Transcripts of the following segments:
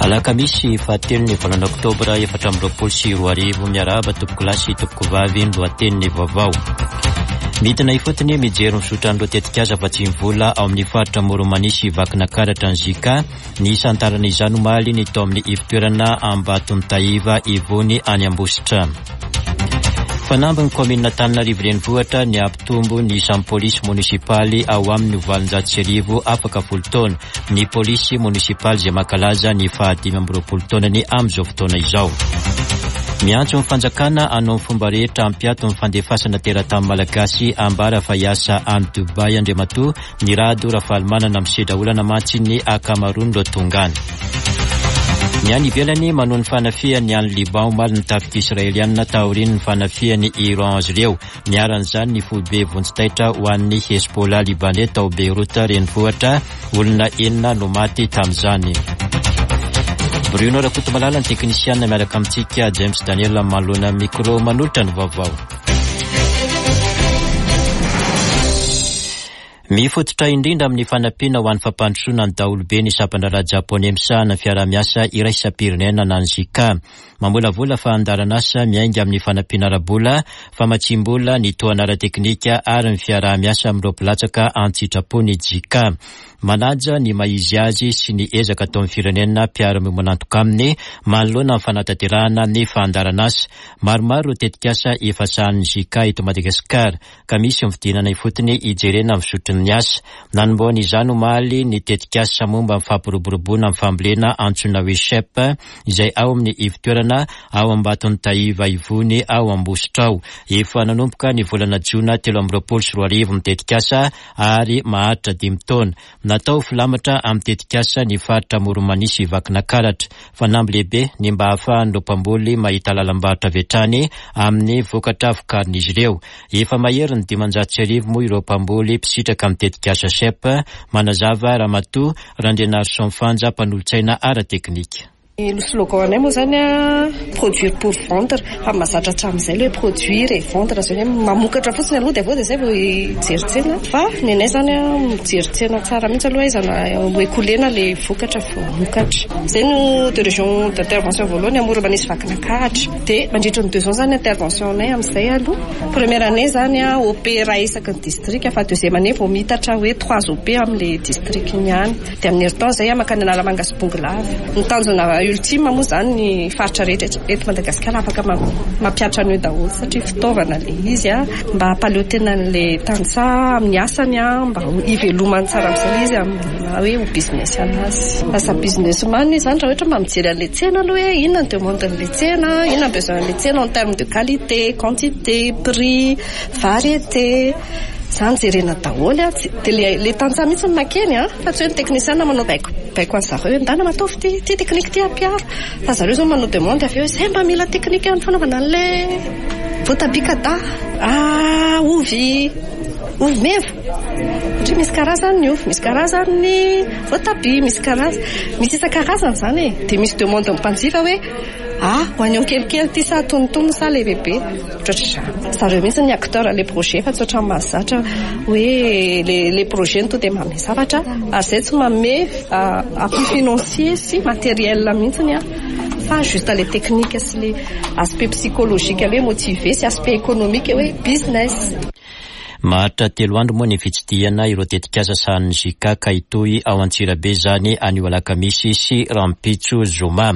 Alakamisy fahatelo ny volana oktobra 2024 miarahaba tompokolahy sy tompokovavy ny lohatenin'ny vaovao. Midina ifotony mijery ny fizotran'ireo tetikasa vatsiam-bola ao amin'ny faritra Amoron'i sy Vakinakaratra ny JK. Nisantarana izany omaly ny tao amin'ny ivon-toerana Ambatontahiva Ivony any Ambositra. Fanamby ny kaominina Antananarivo Renivohitra ny hampitombo ny isan'ny polisy monisipaly ao aminy ho 1800 afaka folo taona. Ny polisy monisipaly izay mankalaza ny faha 25 taonany amin'izao fotoana izao. Miantso ny fanjakana hanao ny fomba rehetra hampiato ny fandefasana teratany malagasy ambara fa hiasa any Dubaï Andriamatoa Ny Rado Rafalimanana misedra olana mantsy ny ankamaroan'ireo tonga any. Ny any ivelany manohy ny fanafihany any Liban omaly ny tafika israelianina taorian'ny fanafihan'i Iran azy ireo. Niharan'izany ny foibe vonjy taitra ho an'ny Hezbollah libanais tao Beyrouth renivohitra. Olona enina no maty tamin'izany. Bruno Rakotomalala ny teknisianina miaraka amintsika James Daniel manoloana micro manolotra ny vaovao. Mifototra indrindra amin'ny fanampiana ho an'ny fampandrosoana ny daholobe ny sampan-draharaha Japoney misahana ny fiaraha-miasa iraisam-pirenena na ny JICA. Mamolavola fandaharanasa miainga amin'ny fanampiana ara-bola, famatsiam-bola, ny tohana ara-teknika ary ny fiaraha-miasa amin'ireo mpilatsaka an-tsitrapo ny JICA. Manaja ny maha izy azy sy ny ezaka ataon'ny firenena mpiara-miombon'antoka aminy manoloana ny fanatanterahana ny fandaharanasa. Maromaro ireo tetikasa efa sahanin'ny JICA eto Madagasikara, ka misy ny fidinana ifotony hijerena ny fizotry ny asa. Nanombohana izany omaly ny tetikasa momba ny fampiroboroboana ny fambolena antsoina hoe CHEP, izay ao amin'ny ivon-toerana ao Ambatontahiva Ivony ao Ambositra ao. Efa nanomboka ny volana jona 2023 ny tetikasa ary maharitra dimy taona. Natao ho filamatra amin'ny tetikasa ny faritra Amoron'i sy Vakinakaratra. Fanamby lehibe ny mba hahafahan'ireo mpamboly mahita lalam-barotra avy hatrany amin'ny vokatra vokarin'izy ireo. Efa maherin'ny 1500 moa ireo mpamboly mpisitraka amin'ny tetikasa CHEP, manazava Ramatoa Randrianarison Fanja, mpanolotsaina ara-teknika. Ny slogan anay moa zany produire pour vendre fa mahazatra hatramin'izay ilay hoe produire et vendre zany hoe mamokatra fotsiny aloha dia avy eo dia zay vao hijery tsena fa ny anay zany mijery tsena tsara mihitsy aloha aiza no écouler-na ilay vokatra vao hamokatra. Izay no deux régions d'intervention voalohany Amoron'i sy Vakinankaratra dia mandritra ny deux ans zany intervention anay amin'izay aloha. Première année zany OP iray isaky ny district fa deuxième année vao miitatra hoe trois OP amin'ilay district iny ihany. Dia amin'ny herintaona izay aho mankany Analamanga sy Bongolava. Ny tanjona ultime moa izany ny faritra rehetra eto Madagasikara afaka mampihatra an'io daholo satria fitaovana ilay izy mba hampaleo tena an'ilay tantsaha amin'ny asany mba hivelomany tsara amin'izay ilay izy amin'ny maha hoe ho business anazy. Lasa business man izy izany raha ohatra mba mijery an'ilay tsena aloha hoe inona ny demande an'ilay tsena, inona ny besoin an'ilay tsena en terme de qualité, quantité, prix, variété. Zany jerena daholo a, dia le le tantsaha mihitsy no makeny a, fa tsy hoe ny technicien manao baiko baiko an'i zareo hoe ndana mataovy ity ity technique ity ampiaro, fa zareo zao manao demande avy eo hoe zay mba mila technique amin'ny fanaovana an'le voatabia kada, ah ovy ovy meva, satria misy karazany ny ovy, misy karazany ny voatabia, misy karazany misy isan-karazany zany e, dia misy demande ny mpanjifa hoe ah oignon kelikely ity sa antonontonony sa lehibebe. Ohatrohatr'izany. Zareo mihitsy ny acteur le projet fa tsy ohatran'ny mahazatra hoe le le projet no tonga dia manome zavatra ary izay tsy manome appui financier sy matériel mihitsy an fa juste le technique sy le aspect psychologique hoe motiver sy aspect économique hoe business. Maharitra telo andro moa ny fitsidihana ireo tetikasa sahanin'ny JICA ka hitohy ao Antsirabe izany anio alakamisy sy rahampitso zoma.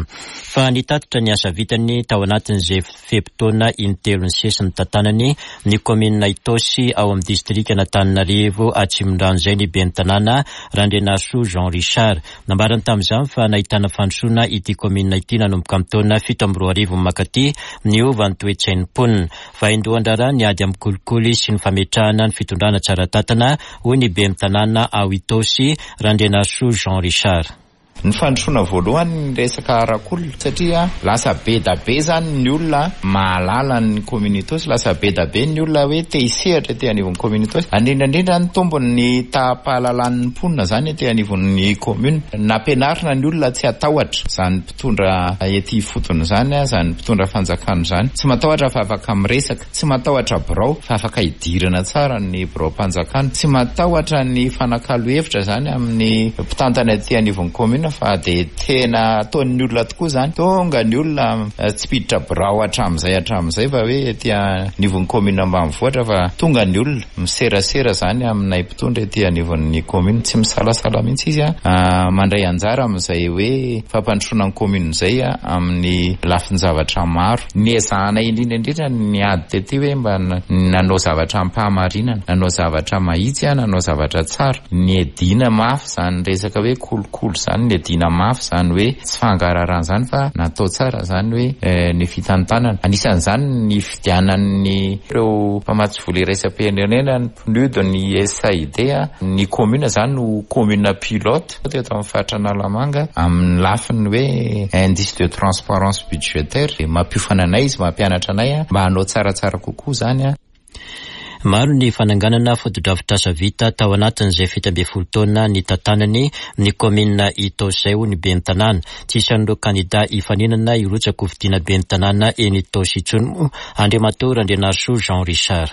Fa nitatitra ny asa vitany tao anatin'izay fe-potoana intelo nisesy nitantanany ny kaominina Itaosy ao amin'ny distrikan'Antananarivo Atsimondrano izay ny ben'ny tanàna Randrianarisoa Jean Richard. Nambarany tamin'izany fa nahitana fandrosoana ity kaominina ity nanomboka amin'ny taona 2007 mankaty, niova ny toe-tsain'ny mponina. Vaindohan-draharaha ny ady amin'ny kolikoly sy ny fametrahana ny fitondrana tsara tantana, hoy ny ben'ny tanàna ao Itaosy, Randrianarisoa Jean Richard. Ny fandrosoana voalohany ny resaka arak'olona satria lasa be da be zany ny olona mahalala ny commune Itaosy, lasa be da be ny olona hoe te hisehatra ety anivon'ny commune Itaosy, indrindra indrindra nitombo ny taham-pahalalan'ny mponina zany ety anivon'ny commune, nampianarina ny olona tsy hatahotra izany mpitondra ety ifotony izany, izany mpitondra fanjakana izany, tsy matahotra fa afaka miresaka. Tsy matahotra birao fa afaka hidirana tsara ny biraom-panjakana. Tsy matahotra ny hifanakalo hevitra izany amin'ny mpitantana aty anivon'ny commune. commune fa dia tena ataon'ny olona tokoa izany. Tonga ny olona tsy mpiditra birao hatramin'izay hatramin'izay fa hoe ety anivon'ny commune ambanivohitra fa tonga ny olona miserasera izany aminay mpitondra ety anivon'ny commune. Tsy misalasala mihitsy izy mandray anjara amin'izay hoe fampandrosoana ny commune izay amin'ny lafin-javatra maro. Niezahanay indrindra indrindra ny ady tety hoe mba nanao zavatra am-pahamarinana, nanao zavatra mahitsy, nanao zavatra tsara. Niadiana mafy izany resaka hoe kolikoly izany, niadiana mafy izany hoe tsy fangaraharahan izany fa natao tsara izany hoe ny fitantanana. Anisan'izany ny fividianan'ny ireo mpamatsy vola iraisam-pirenena, ny PNUD, ny USAID, ny commune izany ho commune pilote teto amin'ny faritra Analamanga amin'ny lafiny hoe indice de transparence budgétaire. Mampiofana anay izy, mampianatra anay mba hanao tsaratsara kokoa izany. Maro ny fananganana fotodrafitrasa vita tao anatin'izay 17 taona nitantanany ny kaominina Itaosy izay, hoy ny ben'ny tanàna. Tsy isan'ireo kandida hifaninana hirotsaka hofidiana ben'ny tanàna eny Itaosy intsony moa Andriamatoa Randrianarisoa Jean Richard.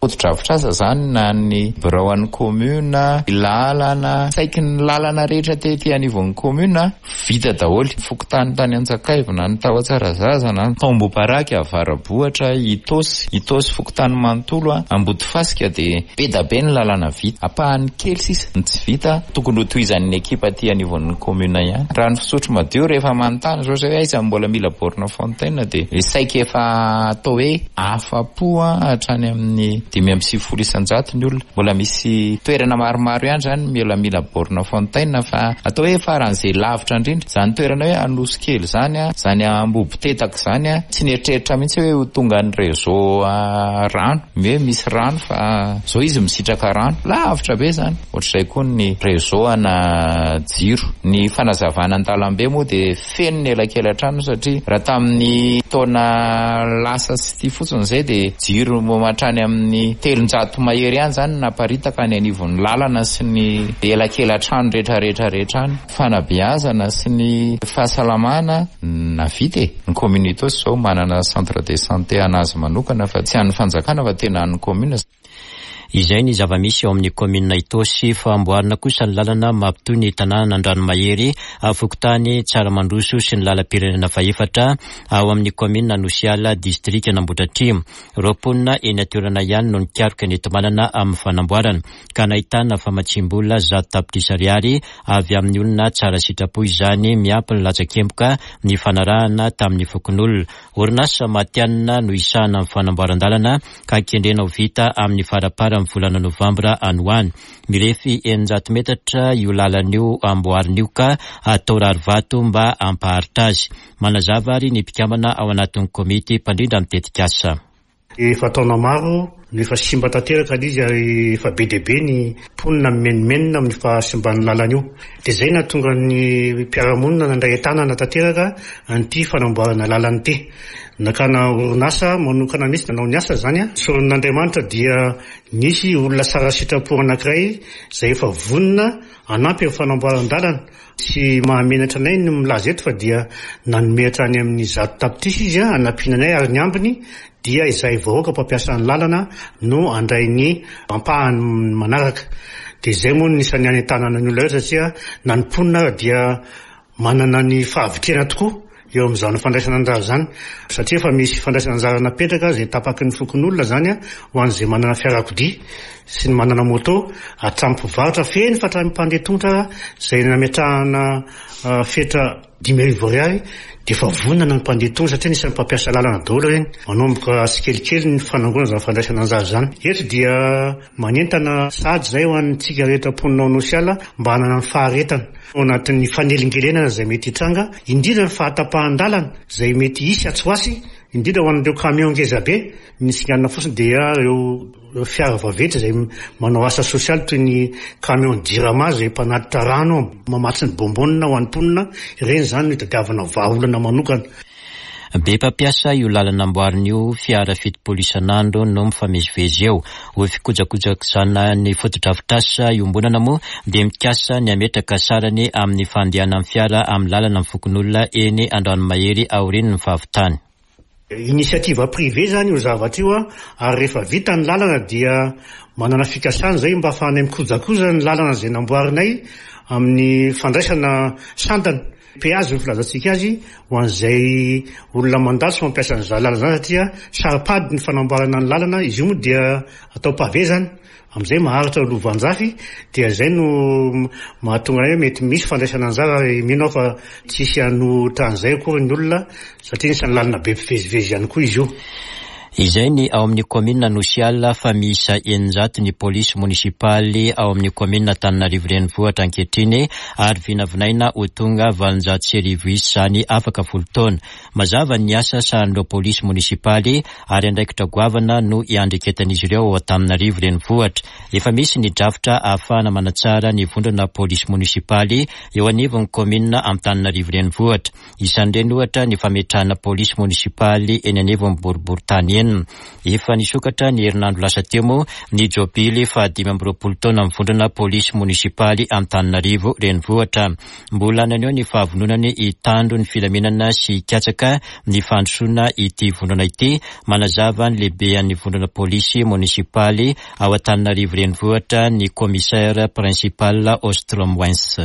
Fotodrafitrasa izany na ny birao an'ny commune, lalana, saiky ny lalana rehetra tety anivon'ny commune vita daholo. Fokontany tany Antsakaivo na ny tao Antsarazaza na ny tao Ambohiparaky, Avarabohitra, Itaosy, Itaosy fokontany manontolo, Ambodifasika dia be da be ny lalana vita. Ampahany kely sisa ny tsy vita, tokony ho tohizan'ny ekipa aty anivon'ny commune ihany. Raha ny fisotro madio rehefa manontany izao izay hoe aiza no mbola mila borne fontaine dia saika efa atao hoe afa-po hatrany amin'ny 95% ny olona. Mbola misy toerana maromaro ihany izany mila mila borne fontaine fa atao hoe faran'izay lavitra indrindra. Izany toerana hoe Anosikely izany, izany Ambohibotetaka izany, tsy nieritreritra mihitsy hoe ho tongan'ny réseau rano, hoe misy rano fa izao izy misitraka rano. Lavitra be izany. Ohatr'izay koa ny réseau ana jiro. Ny fanazavana an-dalambe moa dia feno ny elakelan-trano satria raha tamin'ny taona lasa sy ity fotsiny izay dia jiro hatrany amin'ny 300 mahery ihany izany no naparitaka any anivon'ny lalana sy ny elakelan-trano rehetra rehetra rehetra any. Fanabeazana sy ny fahasalamana navita e! Ny commune Itaosy izao manana centre de santé an'azy manokana fa tsy an'ny fanjakana fa tena an'ny commune. Izay ny zava-misy ao amin'ny kaominina Itaosy. Fa amboarina kosa ny lalana mampitohy ny tanànan'Andranomahery, fokontany Tsaramandroso sy ny lalam-pirenena fahefatra ao amin'ny kaominina Anosiala, distrikan'Ambohidratrimo. Ireo mponina eny an-toerana ihany no nikaroka ny enti-manana amin'ny fanamboarana, ka nahitana famatsiam-bola 100 tapitrisa ariary avy amin'ny olona tsara sitrapo izany, miampy ny latsakemboka nifanarahana tamin'ny fokonolona. Orinasa matihanina no hisahana ny fanamboaran-dalana ka kendrena ho vita amin'ny faramparan'ny volana novambra any ho any. Mirefy 600 metatra io lalana io amboarina io ka atao rarivato mba hampaharitra azy. Manazava ary ny mpikambana ao anatin'ny komity mpandrindra ny tetikasa. Efa taona maro no efa simba tanteraka ilay izy ary efa be dia be ny mponina mimenomenona amin'ny fahasimban'ny lalana io. Dia izay nahatonga ny mpiara-monina nandray an-tanana tanteraka an'ity fanamboarana lalana ity. Nakana orinasa manokana mihitsy nanao ny asa izany. Soron'Andriamanitra dia nisy olona tsara sitrapo anankiray izay efa vonona hanampy amin'ny fanamboaran-dalana. Tsy mahamenatra anay ny milaza eto fa dia nanome hatrany amin'ny 100 tapitrisa izy hanampiana anay ary ny ambiny dia izahay vahoaka mpampiasa ny lalana no handray ny ampahany manaraka. Dia izay moa no isan'ny hanentanana ny olona rehetra satria na ny mponina ara dia manana ny fahavitrihana tokoa eo amin'izany fandraisana anjara izany satria efa misy fandraisana anjara napetraka izay tapaky ny fokonolona izany ho an'izay manana fiarakodia sy ny manana moto hatramin'ny mpivarotra feno fa hatramin'ny mpandeha tongotra izay nametrahana fetra 5000 ariary dia efa vonona ny mpandeha tongotra satria anisan'ny mpampiasa lalana daholo ireny. Manomboka tsikelikely ny fanangonana izany fandraisana anjara izany. Eto dia manentana sahady izay ho antsika rehetra mponina ao Anosiala mba hanana ny faharetana ao anatin'ny fanelingelenana izay mety hitranga, indrindra ny fahatapahan-dalana izay mety hisy atsy ho atsy, indrindra ho an'ireo camion ngezabe, ny singanina fotsiny dia ireo fiara vaventy izay manao asa sosialy toy ny camion Jirama izay mpanatitra rano mamatsy ny bonbonne ho an'ny mponina, ireny izany no itadiavana vahaolana manokana. Be mpampiasa io lalana amboarina io, fiara 70 isan'andro no mifamezivezy eo. Ho fikojakojakojana ny fotodrafitrasa iombonana moa dia mikasa ny hametraka sarany amin'ny fandehanan'ny fiara amin'ny lalana ny fokonolona eny Andranomahery aorian'ny fahavitany. Initiative privée izany io zavatra io ary rehefa vita ny lalana dia manana fikasana izay mba ahafahanay mikojakoja ny lalana izay namboarinay. amin'ny fandraisana sandany, péage ny filazantsika azy, ho an'izay olona mandalo sy mampiasa an'izany lalana izany satria saro-pady ny fanamboarana ny lalana, izy io moa dia atao pavé izany, amin'izay maharitra lovanjafy dia izay no mahatonga hoe mety misy fandraisana anjara ary mino aho fa tsy hisy hanohitra an'izay akory ny olona satria anisan'ny lalana be mpivezivezy ihany koa izy io. Izay ny ao amin'ny kaominina Anosiala fa miisa 600 ny polisy monisipaly ao amin'ny kaominina Antananarivo Renivohitra ankehitriny ary vinavinaina ho tonga 1800 isa izany afaka folo taona. Mazava ny asa sahanin'ireo polisy monisipaly ary andraikitra goavana no iandreketan'izy ireo ao Antananarivo Renivohitra. Efa misy ny drafitra ahafahana manatsara ny vondrona polisy monisipaly eo anivon'ny kaominina Antananarivo Renivohitra. Isan'ireny ohatra ny fametrahana polisy monisipaly eny anivon'ny boriborintany enina. Efa nisokatra ny herinandro lasa teo moa ny jobily faha-25 taona amin'ny vondrona polisy monisipaly Antananarivo Renivohitra. Mbola naneho ny fahavononany hitandro ny filaminana sy hikatsaka ny fandrosoana ity vondrona ity, manazava ny lehibean'ny vondrona polisy monisipaly ao Antananarivo Renivohitra ny Commissaire Principal Ostromwens.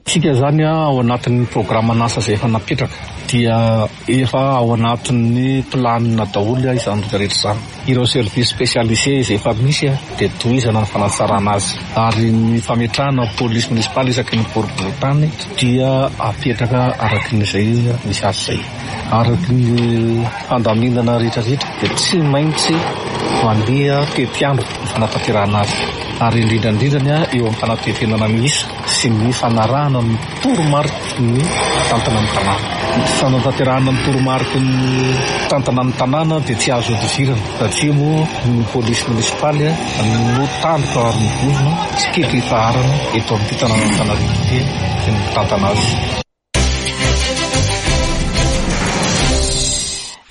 Tsika izany ao anatin'ny programan'asa izay efa napetraka dia efa ao anatin'ny planina daholo izany rehetra rehetra izany. Ireo services spécialisés izay efa misy dia tohizana ny fanatsarana azy ary ny fametrahana police municipale isaky ny boriborintany dia apetraka araky ny izay misy azy izay. Araky ny fandaminana rehetra rehetra dia tsy maintsy mandeha tetiandro ny fanatanterahana azy ary indrindra indrindra ny eo amin'ny fanatefenana ny isa. sy ny fanarahana ny toromariky ny mpitantana ny tanàna. Ny fanatanterahana ny toromariky ny mpitantana ny tanàna dia tsy azo ihodivirana satria moa ny polisy monisipaly no tandroka ary ny vozona tsy kely ifaharana eto amin'ity tanànan'Antananarivo ity sy ny mpitantana azy.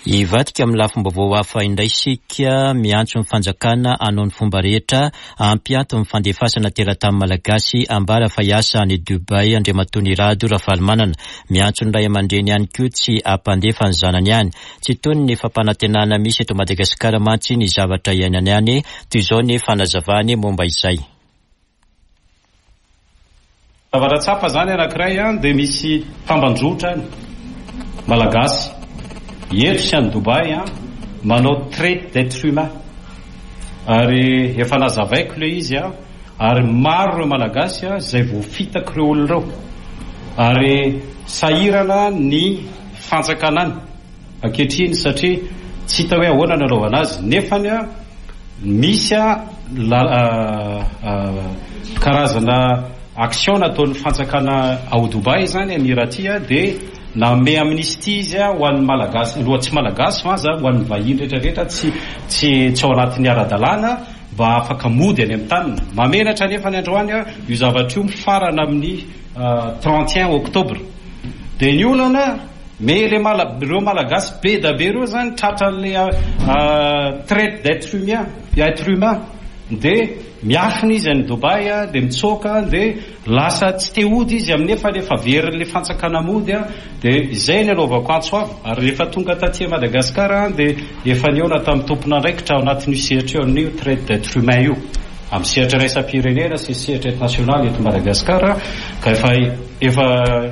Hivadika amin'ny lafim-baovao hafa indray isika, miantso ny fanjakana hanao ny fomba rehetra hampiato ny fandefasana teratany malagasy ambara fa hiasa any Dubaï Andriamatoa Nirado Rafalimanana. Miantso ny ray aman-dreny ihany koa tsy hampandefa ny zanany any. Tsy toy ny fampanantenana misy eto Madagasikara mantsy ny zavatra iainany any, toy izao ny fanazavany momba izay. Zavatra tsapa zany anakiray an dia misy tambanjotra any malagasy eto sy any Dubaï an manao traite d'etre humain ary efa nazavaiko le izy an ary maro ireo malagasy an izay voafitak'ireo olona ireo ary sahirana ny fanjakana any ankehitriny satria tsy hita hoe ahoana ny anaovana azy nefany a misy a karazana action nataon'ny fanjakana ao Dubaï zany Emirati a dia nanome amnistie izy a ho an'ny malagasy aloha tsy malagasy fa aza ho an'ny vahiny rehetra rehetra tsy tsy tsy ao anatin'ny ara-dalàna mba afaka mody any amin'ny taniny. Mahamenatra anefa ny androany a io zavatra io mifarana amin'ny 31 octobre dia ny olana Mais les mala ireo malagasy be da be ireo zany tratran'le traite d'etre humain être humain de miafina izy any Dubaï a de mitsoaka de lasa tsy te hody izy amin'ny nefa efa verin'le fanjakana mody a de izay ny anaovako antso avo ary rehefa tonga taty Madagascar a de efa nihaona tamin'ny tompon'andraikitra ao anatin'io sehatra io amin'io traite d'etre humain io amin'ny sehatra iraisam-pirenena sy sehatra eto nasionaly eto Madagascar ka efa Efa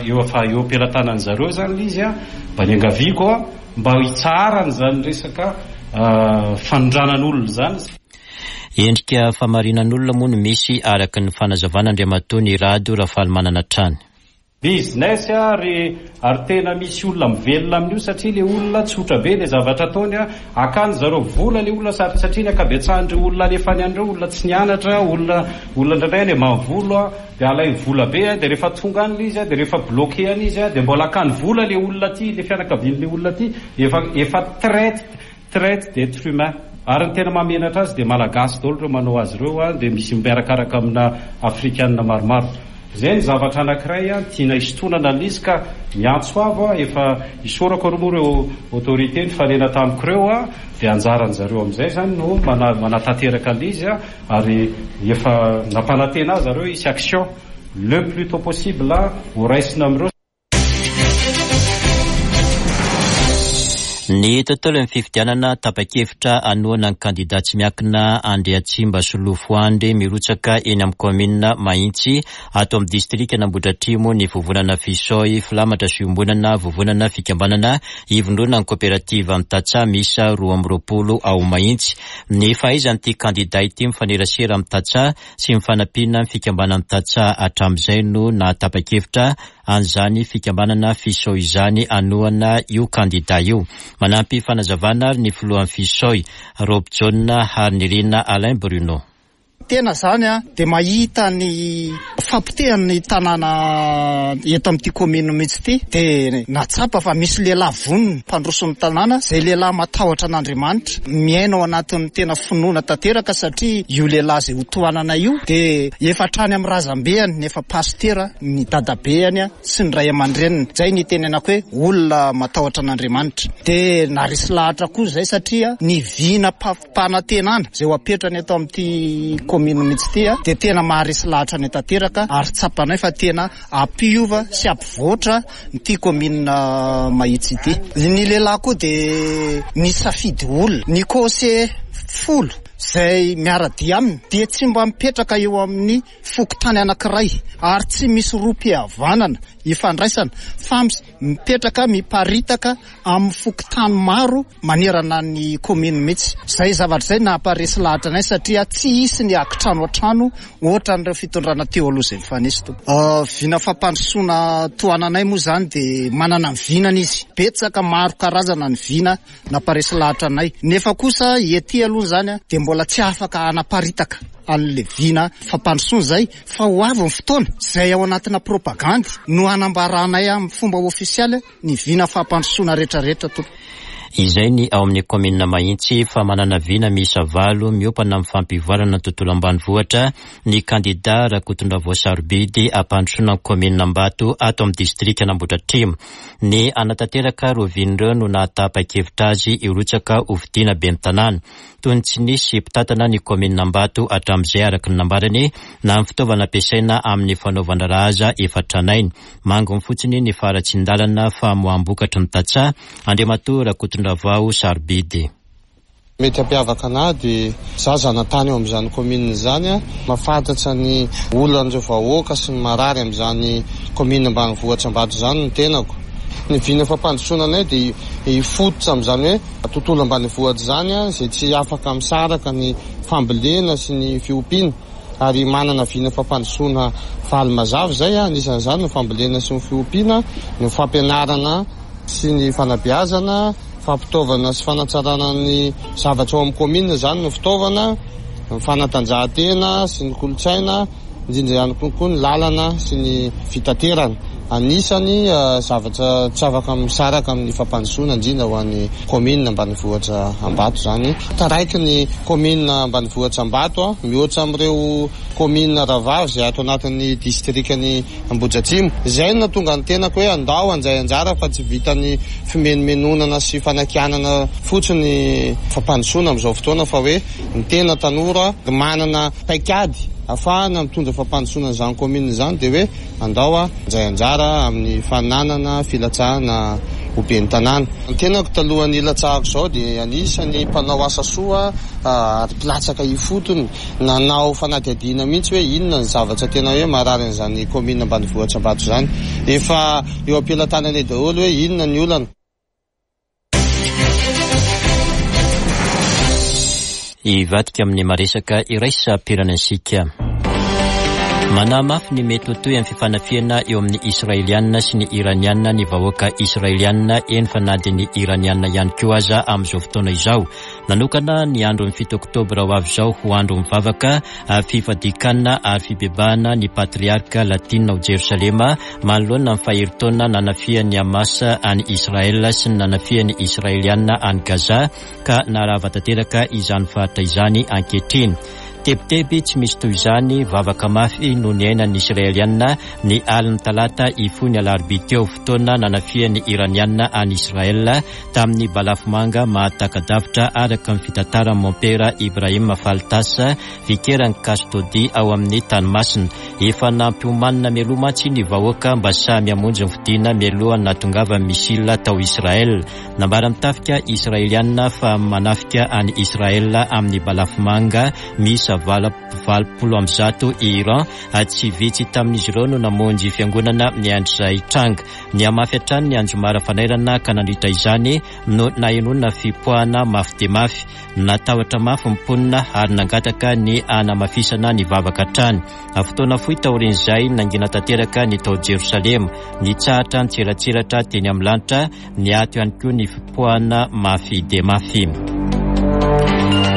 eo efa eo am-pelatanan'ny zareo izany ilay izy an, mba niangaviako an, mba hitsaharana izany resaka fanondranan'olona izany. Endrika famarinan'olona moa no misy araka ny fanazavan'Andriamatoa Nirado Rafalimanana hatrany. Business ary ary tena misy olona mivelona amin'io satria le olona tsotra be le zavatra ataony a, akany zareo vola le olona sady satria ny ankabetsahan'ireo olona alefany any ireo olona tsy nianatra, olona olona indraindray any ambanivola Dia alainy vola be an, dia rehefa tonga any ilay izy an, dia rehefa bloqué any izy an, dia mbola akany vola ilay olona aty, ilay fianakavian'ilay olona aty, efa efa traite, traite d'etre humain. Ary ny tena mahamenatra azy dia malagasy daholo ireo manao azy ireo an, dia misy miarakaraka amina afrikana maromaro. Izay ny zavatra anankiray an, tiana hisintonana an'ilay izy ka miantso avo aho, efa isaorako aloha moa ireo autorité nifanena tamiko ireo an, dia anjaran'zareo amin'izay izany no manatanteraka an'ilay izy an. Ary efa nampanantena ahy zareo hisy action le plus tôt possible ho raisina amin'ireo. Ny tontolon'ny fifidianana, tapa-kevitra hanohana ny kandida tsy miankina Andriantsimba Solofo Andry mirotsaka eny amin'ny kaominina Mahitsy ato amin'ny distrikan'Ambohidratrimo ny vovonana Fisoy, filamatra sy iombonana, vovonana fikambanana ivondronan'ny koperativan'ny tantsaha miisa 22 ao Mahitsy. Ny fahaizan'ity kandida ity mifanerasera amin'ny tantsaha sy ny fanampiana ny fikambanan'ny tantsaha hatramin'izay no nahatapa-kevitra an'izany fikambanana Fisoy izany hanohana io kandida io. Manampy fanazavana ary ny filohan'ny Fisoy, Robjaona Harinirina Alain Bruno. Tena zany dia mahita ny fahapotehan'ny tanàna eto amin'ity commune mihitsy ity dia nahatsapa fa misy lehilahy vonona mpandroso ny tanàna, izay lehilahy matahotra an'Andriamanitra, miaina ao anatin'ny tena finoana tanteraka satria io lehilahy izay hotohanana io dia efa hatrany amin'ny razambeany efa pasitera ny dadabeany sy ny ray aman-dreniny. Izay no itenenako hoe olona matahotra an'Andriamanitra. Dia naharesy lahatra koa izay satria ny vina fampanantenana izay ho apetrany eto amin'ity commune mihitsy ity dia tena maharesy lahatra anay tanteraka ary tsapanay fa tena hampiova sy hampivoatra ity commune Mahitsy ity. Ny lehilahy koa dia nisafidy olona. Ny conseiller folo izay miara-dia aminy dia tsy mba mipetraka eo amin'ny fokontany anankiray ary tsy misy rohim-pihavanana ifandraisana fa mipetraka miparitaka amin'ny fokontany maro manerana ny commune mihitsy. Izay zavatra izay namparesy lahatra anay satria tsy hisy ny hakitrano an-trano ohatran'ireo fitondrana teo aloha izay nifanesy tompoko. Vina fampandrosoana tohananay moa izany dia manana ny vinany izy. Betsaka maro karazana ny vina namparesy lahatra anay. Nefa kosa ety aloha izany dia mbola tsy afaka hanaparitaka an'ilay vina fampandrosoana izay fa ho avy ny fotoana izay ao anatina propagandy no hanambaranay amin'ny fomba ofisialy ny vina fampandrosoana rehetrarehetra tompoko. Izay ny ao amin'ny kaominina Mahitsy fa manana vina miisa valo miompana amin'ny fampivoarana ny tontolo ambanivohitra ny kandida Rakotondravao Sarobidy hampandrosoana ny kaominina Ambato ato amin'ny distrikan'Ambohidratrimo. Ny hanatanteraka ireo vina ireo no nahatapa-kevitra azy hirotsaka ho fidiana ben'ny tanàna. Toy ny tsy nisy mpitantana ny kaominina Ambato hatramin'izay araka ny nambarany na ny fitaovana ampiasaina amin'ny fanaovan-draharaha aza efa tranainy. Manginy fotsiny ny faharatsian-dalana famoaham-bokatry ny tantsaha, Andriamatoa Rakotondravao Sarobidy. Mety hampiavaka anah dia za zanatany ao amin'izany commune izany, mahafantatra ny olan'ireo vahoaka sy ny marary amin'izany commune ambanivohitra Ambato izany ny tenako. Ny vina fampandrosoana anay dia hifototra amin'izany hoe tontolo ambanivohitra izany izay tsy afaka misaraka ny fambolena sy ny fiompiana ary manana vina fampandrosoana faly mazava izay, anisan'izany ny fambolena sy ny fiompiana, ny fampianarana sy ny fanabeazana, fampitaovana sy fanatsarana ny zavatra ao amin'ny kaominina izany ny fitaovana, ny fanatanjahantena sy ny kolontsaina, indrindra ihany koa koa ny lalana sy ny fitaterana. Anisany zavatra tsy afaka misaraka amin'ny fampandrosoana indrindra ho an'ny kaominina ambanivohitra Ambato izany. Taraiky ny kaominina ambanivohitra Ambato mihoatra amin'ireo kaominina rahavavy izay ato anatin'ny distrikan'i Ambohidratrimo. Izay no nahatonga ny tenako hoe andao handray anjara fa tsy vitan'ny fimenomenonana sy fanakianana fotsiny fampandrosoana amin'izao fotoana fa hoe ny tena tanora manana paikady ahafahana mitondra fampandrosoana an'izany commune izany dia hoe andao handray anjara amin'ny fananana filatsahana ho ben'ny tanàna. Ny tenako talohan'ny hilatsahako izao dia anisan'ny mpanao asa soa ary mpilatsaka ifotony. Nanao fanadihadiana mihitsy hoe inona ny zavatra tena hoe marary an'izany kaominina ambanivohitra Ambato izany. Efa eo am-pelatananay daholo hoe inona ny olana. Hivadika amin'ny maresaka iraisam-pirenena isika. Manahy mafy ny mety ho tohin'ny fifanafihana eo amin'ny Israeliana sy ny Iraniana ny vahoaka Israeliana, eny fa na dia ny Iraniana ihany koa aza amin'izao fotoana izao. Nanokana ny andron'ny fito oktobra ho avy izao ho andro mivavaka, fifadian-kanina ary fibebahana ny Patriarka Latina ao Jerosalema manoloana ny faherin-taona nanafihan'ny Hamas an'i Israel sy ny nanafihan'ny Israeliana an'i Gaza ka naharava tanteraka izany faritra izany ankehitriny. Tebiteby tsy misy toy izany, vavaka mafy no niainan'ny Israeliana ny alin'ny talata hifoha ny alarobia teo, fotoana nanafihan'ny Iraniana an'i Israel tamin'ny balafomanga mahataka-davitra araka ny fitantaran'i Mompera Ibrahim Faltas, vikeran'ny Kastodi ao amin'ny Tany Masina. Efa nampiomanina mialoha mantsy ny vahoaka mba samy hamonjy ny fodiana mialohan'ny nahatongavan'ny missile tao Israel. Nambaran'ny tafika Israeliana fa manafika an'i Israel amin'ny balafomanga miisa 180 i Iran, tsy vitsy tamin'izy ireo no namonjy fiangonana niandry izay tranga. Nihamafy hatrany ny anjomara fanairana ka nandritra izany no nahenoana fipoahana mafy dia mafy. Natahotra mafy ny mponina ary nangataka ny hanamafisana ny vavaka hatrany. Fotoana fohy taorian'izay, nangina tanteraka ny tao Jerosalema. Nitsahatra nitseratseratra teny amin'ny lanitra, niato ihany koa ny fipoahana mafy dia mafy.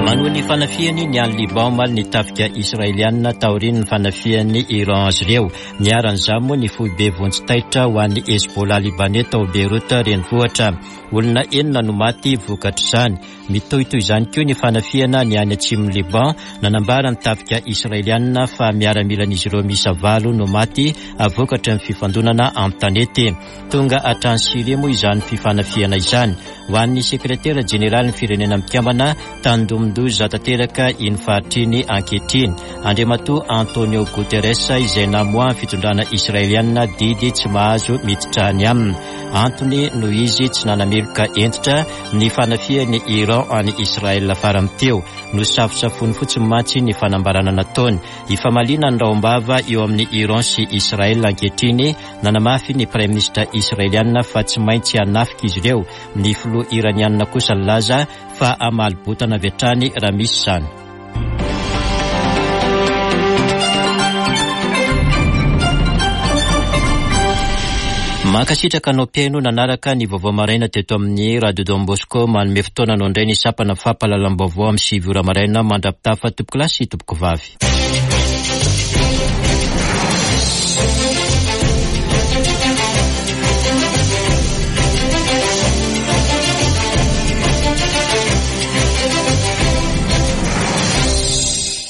Manohy ny fanafihany ny any Liban omaly ny tafika Israelianina taorian'ny fanafihan'ny Iran azy ireo. Niharan'izany moa ny foibe vonjy taitra ho an'ny Hezbollah Libanais tao Beyrouth renivohitra. Olona enina no maty vokatr'izany. Mitohy toy izany koa ny fanafihana ny any atsimon'i Liban. Nanambara ny tafika Israelianina fa miaramilan'izy ireo miisa valo no maty vokatry ny fifandonana an-tanety. Tonga hatrany Syria moa izany fifanafihana izany. Ho an'ny sekretera jeneralin'ny Firenena Mikambana, tandindomin-doza tanteraka iny faritra iny ankehitriny, Andriamatoa Antonio Guterres izay namoahan'ny fitondrana Israelianina didy tsy mahazo miditra any aminy. Antony noho izy tsy nanameloka hentitra ny fanafihan'i Iran an'i Israel farany teo. Nosafosafoiny fotsiny mantsy ny fanambarana nataony. Ifamaliana ny rahom-bava eo amin'i Iran sy Israel ankehitriny. Nanamafy ny praiminisitra Israeliana fa tsy maintsy hanafika izy ireo. Ny filoha Iraniana kosa nilaza fa hamaly botana avy hatrany raha misy izany. Mankasitraka anao mpihaino nanaraka ny vaovao maraina teto amin'ny Radio Don Bosco. Manome fotoana anao indray ny sampana fampahalalam-baovao amin'ny 9 ora maraina mandra-pitafa tompokolahy sy tompokovavy.